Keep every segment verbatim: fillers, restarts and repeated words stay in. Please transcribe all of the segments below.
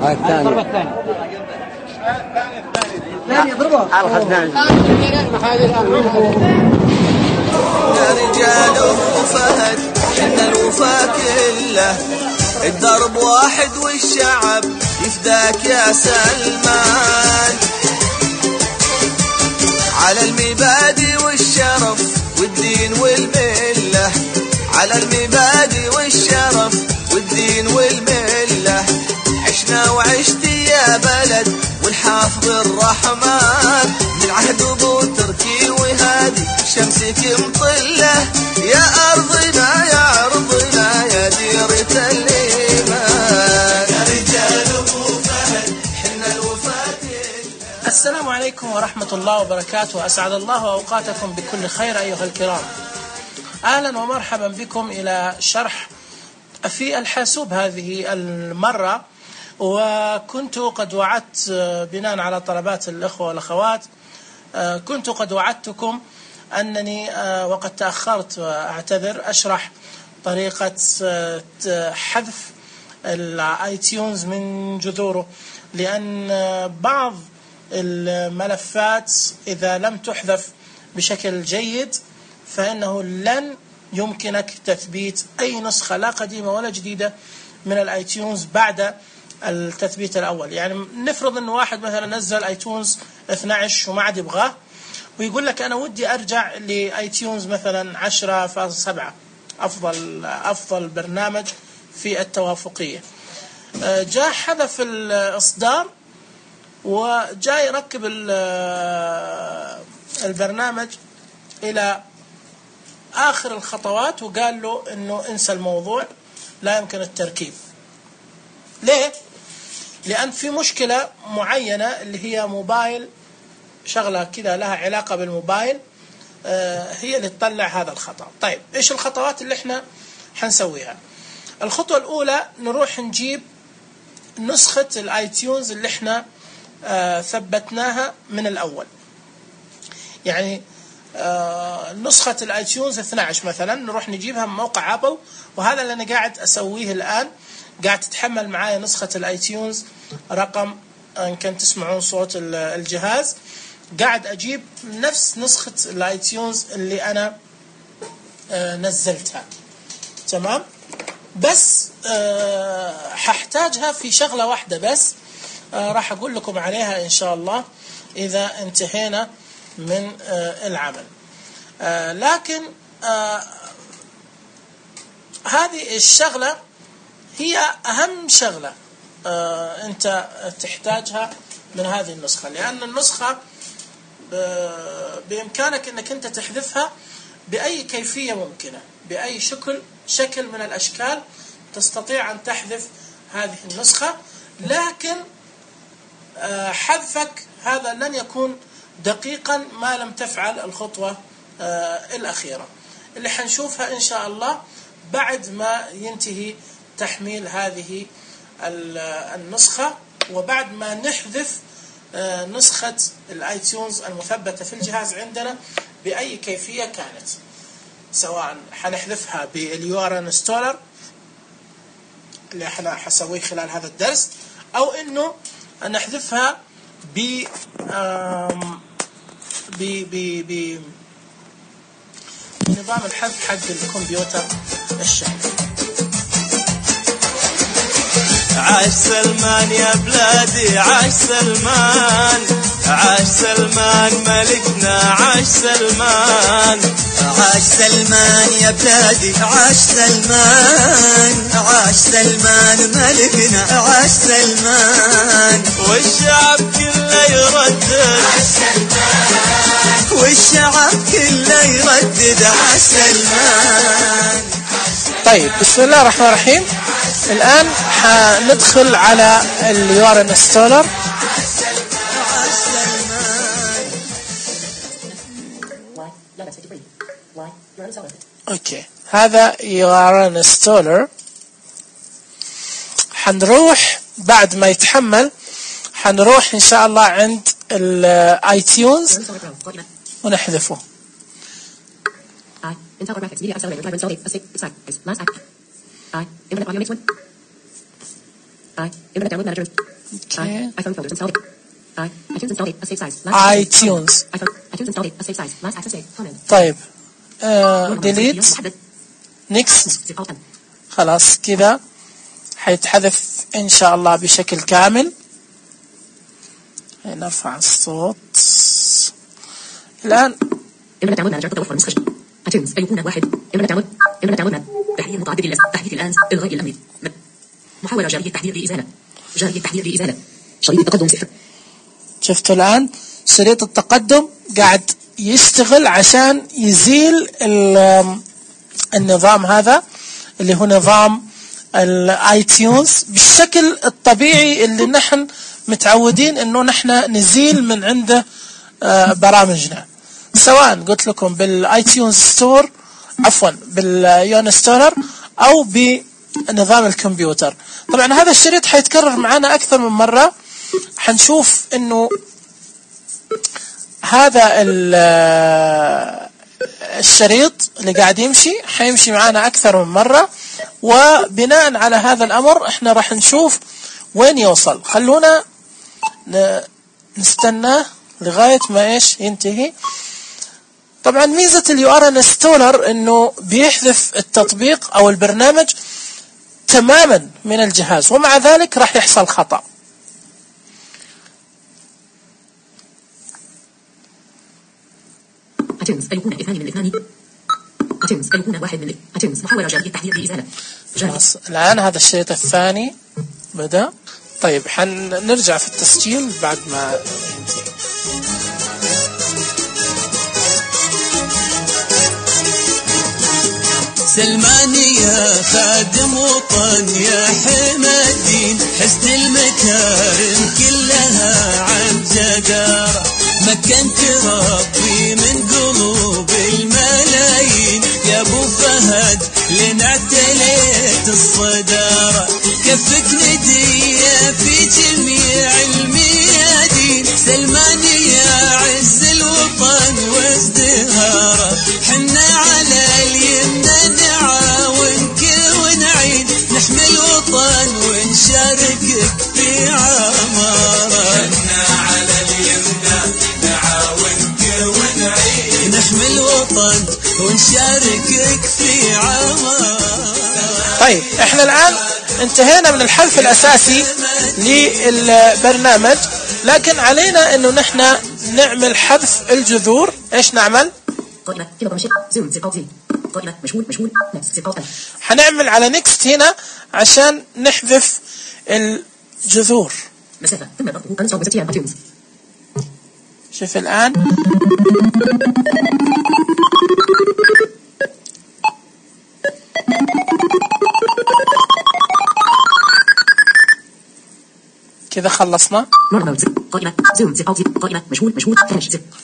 هاي الثاني الثاني يضربها يا رجال ابو فهد حنا الوفا كله الدرب واحد والشعب يفداك يا سلمان على المبادئ والشرف والدين والمله على المبادئ والشرف والدين والمله عشنا وعشتي يا بلد والحافظ الرحمن من عهد ابو تركي وهادي شمسك مطله يا ارضنا يا ارضنا يا ديرة الايمان يا رجال ابو فهد حنا الوفاة. السلام عليكم ورحمة الله وبركاته. أسعد الله أوقاتكم بكل خير أيها الكرام. أهلا ومرحبا بكم إلى شرح في الحاسوب هذه المرة. وكنت قد وعدت بناء على طلبات الأخوة والأخوات كنت قد وعدتكم أنني وقد تأخرت وأعتذر أشرح طريقة حذف الاي تيونز من جذوره، لأن بعض الملفات إذا لم تحذف بشكل جيد فإنه لن يمكنك تثبيت أي نسخة لا قديمة ولا جديدة من الاي تيونز بعد التثبيت الأول. يعني نفرض أن واحد مثلا نزل ايتونز اثني عشر وما عاد يبغاه ويقول لك أنا ودي أرجع لايتونز مثلا عشرة فاصلة سبعة أفضل أفضل برنامج في التوافقية، جاء حذف الإصدار وجاء يركب البرنامج إلى آخر الخطوات وقال له إنه انسى الموضوع لا يمكن التركيب. ليه؟ لأن في مشكلة معينة اللي هي موبايل، شغلة كده لها علاقة بالموبايل هي اللي تطلع هذا الخطأ. طيب إيش الخطوات اللي إحنا حنسويها؟ الخطوة الأولى نروح نجيب نسخة الايتيونز اللي إحنا ثبتناها من الأول. يعني نسخة الايتيونز اثني عشر مثلا نروح نجيبها من موقع ابل، وهذا اللي انا قاعد اسويه الان. قاعد تتحمل معايا نسخة الايتيونز رقم ان كنت تسمعون صوت الجهاز، قاعد اجيب نفس نسخة الايتيونز اللي انا نزلتها. تمام، بس ححتاجها في شغلة واحدة بس راح اقول لكم عليها ان شاء الله اذا انتهينا من العمل. لكن هذه الشغلة هي أهم شغلة أنت تحتاجها من هذه النسخة، لأن النسخة بإمكانك أنك أنت تحذفها بأي كيفية ممكنة، بأي شكل شكل من الأشكال تستطيع أن تحذف هذه النسخة. لكن حذفك هذا لن يكون دقيقا ما لم تفعل الخطوة آه الأخيرة اللي حنشوفها إن شاء الله بعد ما ينتهي تحميل هذه النسخة، وبعد ما نحذف آه نسخة الايتيونز المثبتة في الجهاز عندنا بأي كيفية كانت، سواء حنحذفها باليو ار انستولر اللي احنا حسويه خلال هذا الدرس، أو إنه نحذفها ب ب ب ب نظام الحذف حق الكمبيوتر الشخصي. عاش سلمان يا بلادي عاش سلمان، عاش سلمان ملكنا عاش سلمان، عاش سلمان يا بلادي عاش سلمان، عاش سلمان ملكنا عاش سلمان، والشعب كله يردد عاش سلمان، والشعب كله يردد عاش سلمان. طيب بسم الله الرحمن الرحيم. الآن حندخل على اليو ار انستولر. اوكي، هذا يو ار انستولر. حنروح بعد ما يتحمل حنروح ان شاء الله عند الايتيونز ونحذفه. I. Intel Core Graphics Media Accelerator Driver installed. A six. Exact. Last act. I. Internet Audio Mix one. I. Internet Download Manager. I. iPhone folders installed. I. iTunes installed. A save size. iTunes. iPhone. iTunes installed. A save size. Last access date. Comment. طيب ديليت نيكست. خلاص كذا حيتحذف إن شاء الله بشكل كامل. نرفع الصوت الآن. إنما داونلود مانجر تتوفر نسخة iTunes أيقونة واحد. إنما داونلود إنما داونلود ماب تحديد متعدد الأس تحديث الآن إلغاء الأمر محاولة جارية تحديد لإزالة جارية تحديد لإزالة شريط التقدم صفر. شفتوا الآن شريط التقدم قاعد يشتغل عشان يزيل النظام هذا اللي هو نظام الايتيونز بالشكل الطبيعي اللي نحن متعودين انه نحن نزيل من عنده برامجنا، سواء قلت لكم بالايتيونز ستور عفوا باليونستورر او بنظام الكمبيوتر. طبعا هذا الشريط حيتكرر معنا اكثر من مرة، حنشوف انه هذا الشريط اللي قاعد يمشي حيمشي معنا أكثر من مرة، وبناء على هذا الأمر إحنا راح نشوف وين يوصل. خلونا نستناه لغاية ما إيش ينتهي. طبعا ميزة اليو ار انستولر إنه بيحذف التطبيق أو البرنامج تماما من الجهاز، ومع ذلك راح يحصل خطأ. iTunes أيقونة اثنان من اثنان. iTunes أيقونة واحد من iTunes محاولة جارية تحديد لإزالة. خلاص الآن هذا الشريط الثاني بدأ. طيب حنرجع في التسجيل بعد ما ينتهي. سلماني يا خادم وطن يا حمى الدين، حسن المكارم كلها عن جدارة، مكنت ربي من قلوب الملايين، يا ابو فهد لين اعتليت الصدارة، كفك ندية في جميع الميادين، سلماني يا عز الوطن وازدهاره، حنا على اليمنى نعاونك ونعين، نحمي الوطن ونشاركك في عماره، حنا على اليمنى نعاونك ونعين، نحمي الوطن ونشاركك في عماره. طيب احنا الآن انتهينا من الحذف الأساسي للبرنامج، لكن علينا انه نحن نعمل حذف الجذور. ايش نعمل؟ حنعمل على نيكست هنا عشان نحذف الجذور. شوف الآن كذا خلصنا.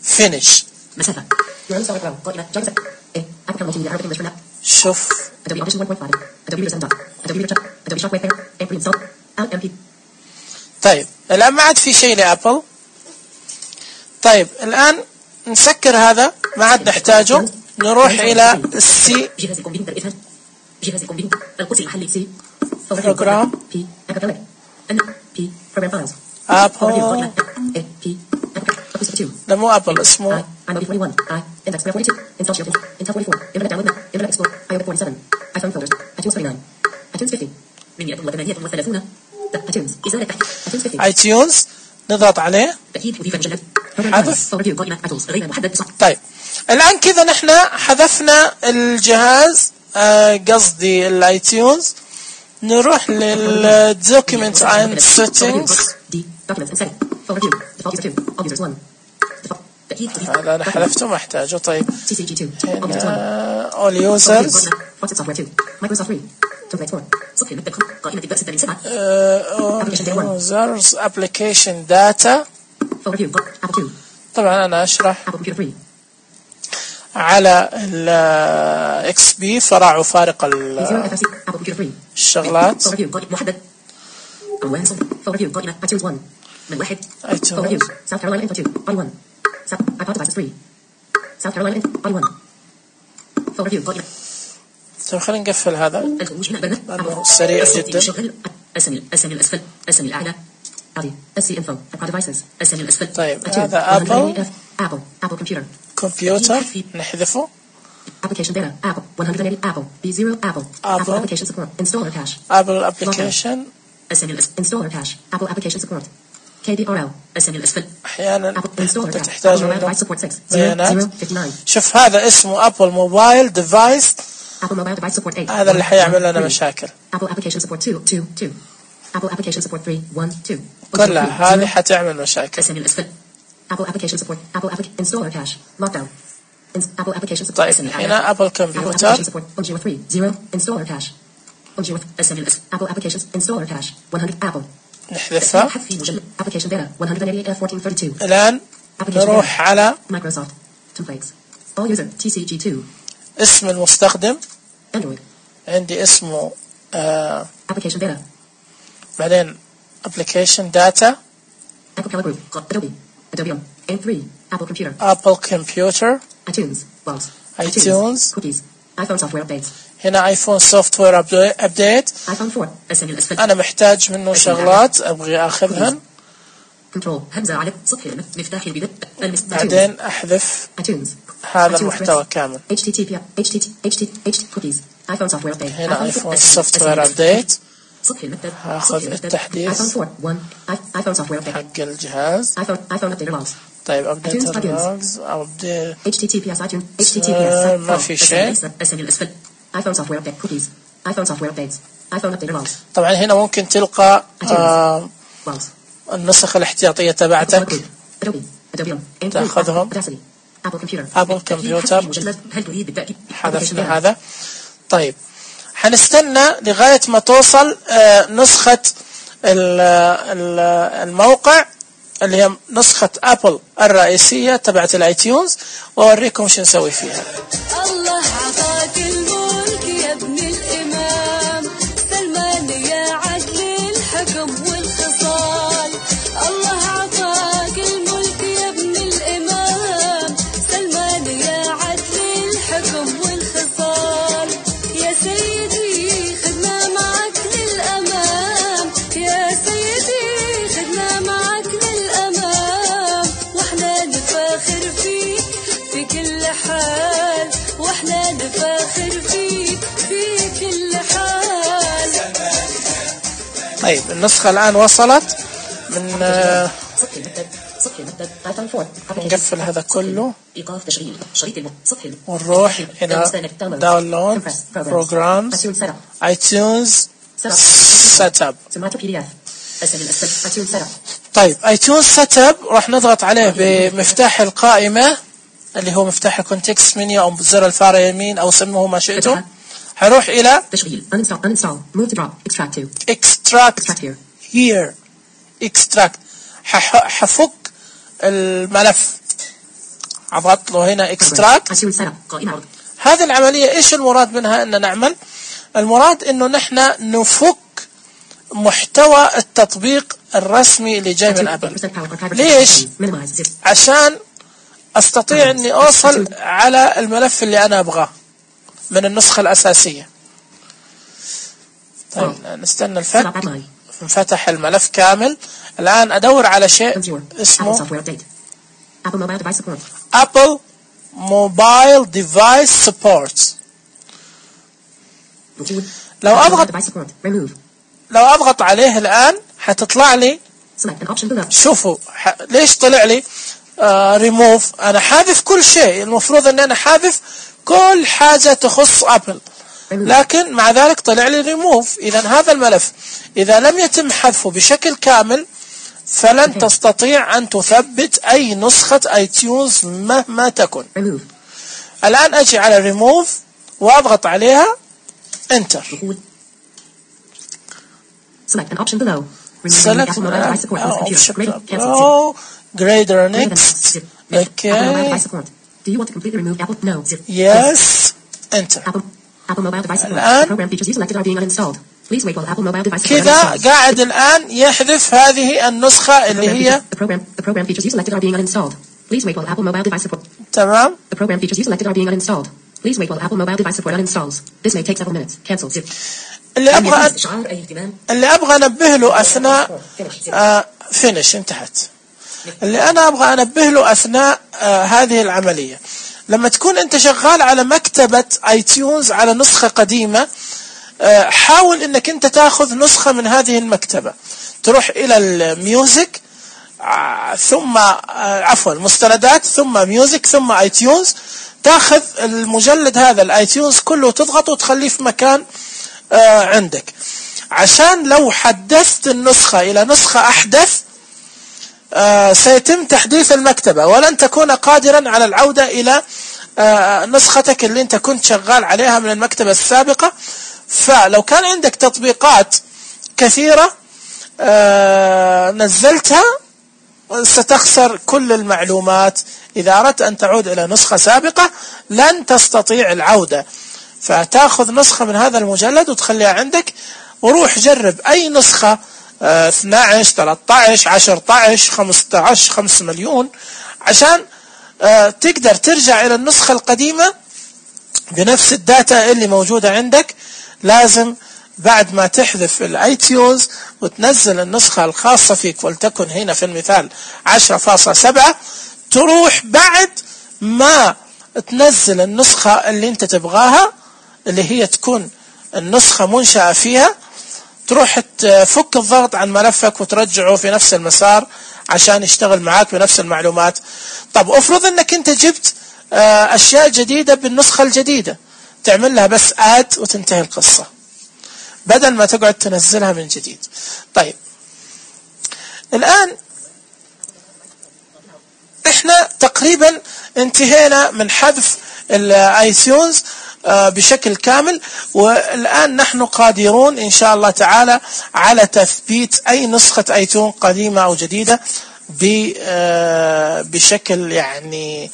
فينيش. شوف طيب الآن ما عاد في شيء لأبل. طيب الآن نسكر هذا ما عاد نحتاجه، نروح إلى السي بروجرام أبل. لا مو أبل، اسمه iTunes. نضغط عليه حذف. طيب الآن كذا نحن حذفنا الجهاز قصدي الايتيونز. نروح للدوكيمنت اند سيتنجز. هذا انا حذفته ما احتاجه. طيب هنا all users users application data. طبعا انا اشرح على ال إكس بي فراع وفارق الشغلات. من واحد South Carolina Info two Body one South iPod devices three South Carolina Info Body one فور ريفيو قائمة. طيب خلينا نقفل هذا الخروج هنا برنامج لأنه سريع جدا. شغل السمي السمي الأسفل السمي الأعلى عادي السي انفو ديفايسز السمي الأسفل. طيب هذا أبل أبل أبل كمبيوتر كمبيوتر نحذفه. application data Apple one hundred eighty Apple B zero Apple Apple application support installer cache Apple application السمي installer cache Apple application support كي دي آر إل السمي الأسفل أحيانا installer cache تحتاج Apple منه mobile support six بيانات. zero fifty-nine شوف هذا اسمه أبل موبايل ديفايس، Apple mobile device support eight هذا اللي حيعمل لنا مشاكل. Apple application support two two two Apple application support three one two كلها هذه حتعمل مشاكل. السمي الأسفل Apple application support Apple application installer cache lockdown Apple application support طيب هنا أبل Apple كمبيوتر application support O G O three zero installer cache O G O السمي الأسفل Apple application installer cache one hundred Apple نحذفها. حذف مجلد application data one hundred eighty-eight F fourteen thirty-two الآن نروح على Microsoft templates all user T C G two اسم المستخدم. Android عندي اسمه آه application data بعدين application data Apple Color Group Adobe Adobe on M three Apple Computer Apple Computer iTunes Logs iTunes Cookies iPhone software updates هنا ايفون سوفت وير ابديت. iPhone four السمي الأسفل انا محتاج منه شغلات ابغي اخذهن. كنترول همزة على سطح مفتاح البدء بعدين احذف iTunes هذا المحتوى كامل. H T T P H T T H T H T Cookies iPhone software update هنا ايفون سوفت وير ابديت. سطح المكتب هاخذ التحديث iPhone four one iPhone software update حق الجهاز. iPhone iPhone updater logs طيب ابديت اللوجز او ابديت H T T P S iTunes H T T P S ما في شيء. السمي الأسفل iPhone software update cookies iPhone software updates iPhone updater logs طبعا هنا ممكن تلقى آه logs النسخ الاحتياطية تبعتك Adobe Adobe on تأخذهم. Audacity Apple Computer Apple Computer مجلد هل تريد بالتأكيد حذفنا هذا. طيب حنستنى لغاية ما توصل آه نسخة الموقع اللي هي نسخة أبل الرئيسية تبعت الايتيونز وأوريكم شو نسوي فيها. الله عطاك الملك يا ابن الإمام سلمان يا عدل الحكم والخصال. الله عطاك الملك يا ابن الإمام سلمان يا عدل الحكم والخصال. يا سيدي خدنا معك للأمام يا سيدي خدنا معك للأمام واحنا نفاخر فيك في كل حال واحنا نفاخر فيك في كل حال. طيب النسخة الآن وصلت من آه نقفل هذا كله إيقاف تشغيل شريط الم سطح الم ونروح إلى داونلود بروجرامز ايتونز سيت اب. طيب ايتونز سيت اب راح نضغط عليه بمفتاح القائمة اللي هو مفتاح الكونتكست منيو او بزر الفار يمين او سموه ما شئتم. حروح الى تشغيل uninstall uninstall move to drop extract to extract extract here here extract. حفك الملف عضغط له هنا extract. هذه العملية ايش المراد منها ان نعمل؟ المراد انه نحن نفك محتوى التطبيق الرسمي اللي جاي من ابل. ليش؟ عشان استطيع اني اوصل على الملف اللي انا ابغاه من النسخة الاساسية. طيب نستنى الفك. انفتح الملف كامل. الان ادور على شيء اسمه Apple Mobile Device Support. لو اضغط لو اضغط عليه الان حتطلع لي شوفوا ح... ليش طلع لي ريموف. uh, انا حاذف كل شيء. المفروض ان انا حاذف كل حاجة تخص ابل لكن مع ذلك طلع لي ريموف. اذا هذا الملف اذا لم يتم حذفه بشكل كامل فلن تستطيع ان تثبت اي نسخة ايتيونز مهما تكن. الان اجي على ريموف واضغط عليها انتر. Select an option below. Select Apple mobile device support. option Cancel. below. Grader next. Okay. Apple mobile device Okay. support. Do you want to completely remove Apple? No. Yes. Enter. Apple Apple mobile device support. الآن Program features you selected are being uninstalled. Please wait while Apple mobile device support كذا uninstalled. قاعد الآن يحذف هذه النسخة اللي هي The program the program features you selected are being uninstalled. Please wait while Apple mobile device support. تمام. The program features you selected are being uninstalled. Please wait while Apple mobile device support uninstalls. This may take several minutes. Cancel zip. اللي ابغى اللي ابغى انبه له اثناء آه فينش انتهت. اللي انا ابغى انبه له اثناء آه هذه العمليه، لما تكون انت شغال على مكتبه اي تيونز على نسخه قديمه، آه حاول انك انت تاخذ نسخه من هذه المكتبه، تروح الى الميوزك آه ثم آه عفوا مستندات ثم ميوزك ثم اي تيونز، تاخذ المجلد هذا الاي تيونز كله وتضغط وتخليه في مكان آه عندك، عشان لو حدثت النسخة إلى نسخة أحدث آه سيتم تحديث المكتبة ولن تكون قادرا على العودة إلى آه نسختك اللي أنت كنت شغال عليها من المكتبة السابقة. فلو كان عندك تطبيقات كثيرة آه نزلتها ستخسر كل المعلومات. إذا أردت أن تعود إلى نسخة سابقة لن تستطيع العودة، فتأخذ نسخة من هذا المجلد وتخليها عندك، وروح جرب أي نسخة اه اثني عشر ثلاثة عشر عشرة عشر خمسة عشر خمسة مليون، عشان اه تقدر ترجع إلى النسخة القديمة بنفس الداتا اللي موجودة عندك. لازم بعد ما تحذف الاي تيونز وتنزل النسخة الخاصة فيك، ولتكن هنا في المثال عشرة فاصلة سبعة، تروح بعد ما تنزل النسخة اللي انت تبغاها اللي هي تكون النسخة منشأة فيها، تروح تفك الضغط عن ملفك وترجعه في نفس المسار عشان يشتغل معاك بنفس المعلومات. طب افرض انك انت جبت اشياء جديدة بالنسخة الجديدة، تعمل لها بس اد وتنتهي القصة بدل ما تقعد تنزلها من جديد. طيب الآن احنا تقريبا انتهينا من حذف الايتونز بشكل كامل، والآن نحن قادرون إن شاء الله تعالى على تثبيت أي نسخة ايتون قديمة أو جديدة بشكل يعني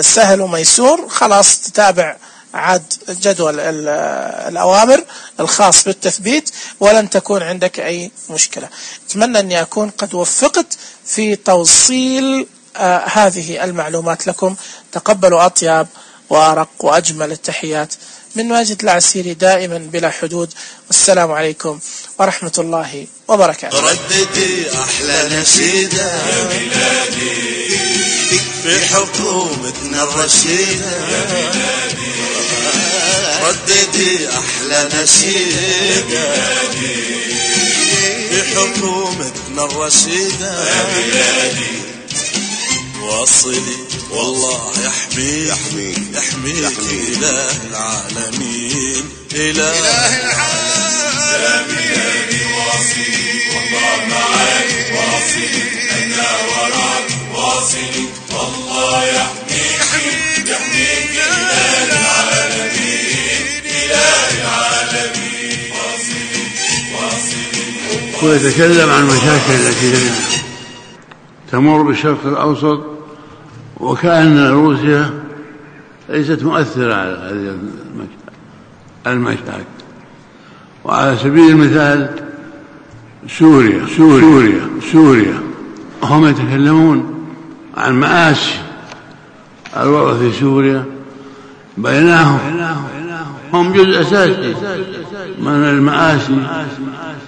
سهل وميسور. خلاص تتابع عاد جدول الأوامر الخاص بالتثبيت ولن تكون عندك أي مشكلة. أتمنى أني أكون قد وفقت في توصيل آه هذه المعلومات لكم. تقبلوا أطيب وأرق وأجمل التحيات من ماجد العسيري دائما بلا حدود، والسلام عليكم ورحمة الله وبركاته. رددي أحلى نشيدة يا بلادي في حكومتنا الرشيدة، يا بلادي رددي أحلى نشيدة يا بلادي في حكومتنا الرشيدة، يا بلادي واصلي والله يحميك يحميك يحميك إله العالمين إله العالمين. يا بلادي واصلي والله معاك واصلي أنا وراك واصلي والله يحميك يحميك إله العالمين إله العالمين واصلي واصلي. ويتكلم عن المشاكل التي تمر بالشرق الأوسط، وكأن روسيا ليست مؤثرة على هذه المشاكل. وعلى سبيل المثال سوريا سوريا سوريا هم يتكلمون عن مآسي الوضع في سوريا، بينهم هم جزء أساسي من المآسي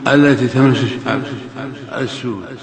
التي تمس الشعب السوري.